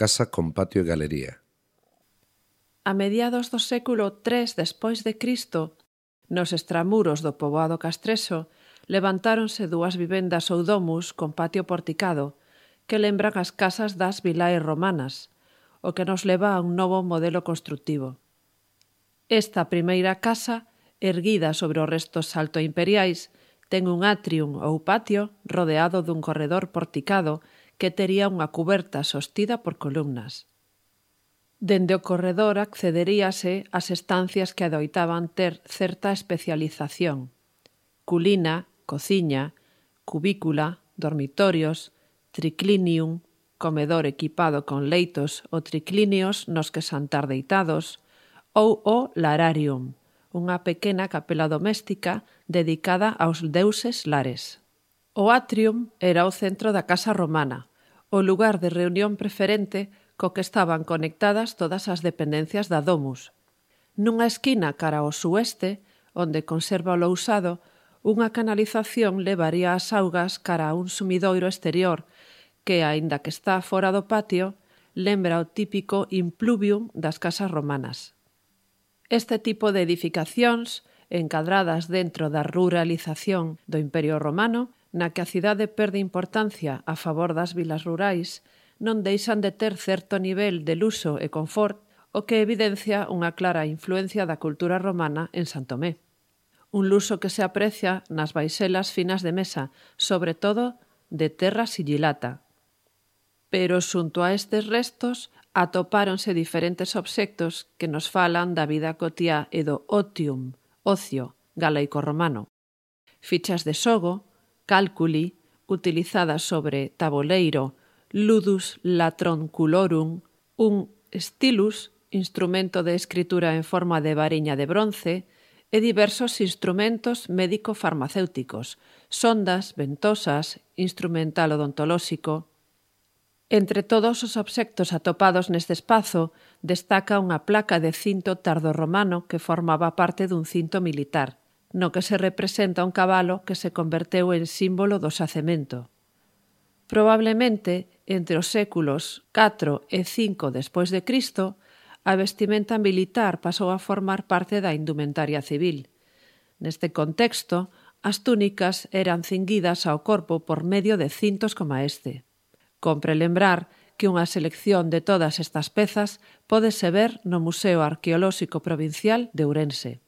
casa con patio e galería. A mediados do século III despois de Cristo, nos extramuros do poboado castreso, levantáronse dúas vivendas ou domus con patio porticado que lembran as casas das vilaes romanas, o que nos leva a un novo modelo constructivo. Esta primeira casa, erguida sobre os restos saltoimperiais, ten un atrium ou patio rodeado dun corredor porticado que tería unha cuberta sostida por columnas. Dende o corredor accederíase ás estancias que adoitaban ter certa especialización: culina, cociña, cubícula, dormitorios, triclinium, comedor equipado con leitos ou triclinios nos que santar deitados, ou o lararium, unha pequena capela doméstica dedicada aos deuses lares. O atrium era o centro da casa romana, o lugar de reunión preferente co que estaban conectadas todas as dependencias da domus. Nunha esquina cara ao sueste, onde conserva o lousado, unha canalización levaría as augas cara a un sumidoiro exterior que, aínda que está fora do patio, lembra o típico impluvium das casas romanas. Este tipo de edificacións, encadradas dentro da ruralización do Imperio Romano, na que a cidade perde importancia a favor das vilas rurais, non deixan de ter certo nivel de luxo e confort, o que evidencia unha clara influencia da cultura romana en San Tomé. Un luxo que se aprecia nas baixelas finas de mesa, sobre todo de terra sigilata. Pero xunto a estes restos atopáronse diferentes obxectos que nos falan da vida cotiá e do otium, ocio, galaico-romano. Fichas de xogo, cálculi, utilizadas sobre taboleiro, ludus latronculorum, un stylus, instrumento de escritura en forma de variña de bronce, e diversos instrumentos médico-farmacéuticos, sondas, ventosas, instrumental odontolóxico. Entre todos os obxectos atopados neste espazo, destaca unha placa de cinto tardorromano que formaba parte dun cinto militar, no que se representa un cabalo que se converteu en símbolo do xacemento. Probablemente, entre os séculos IV e V despois de Cristo, a vestimenta militar pasou a formar parte da indumentaria civil. Neste contexto, as túnicas eran cinguidas ao corpo por medio de cintos como este. Compre lembrar que unha selección de todas estas pezas pódese ver no Museo Arqueolóxico Provincial de Ourense.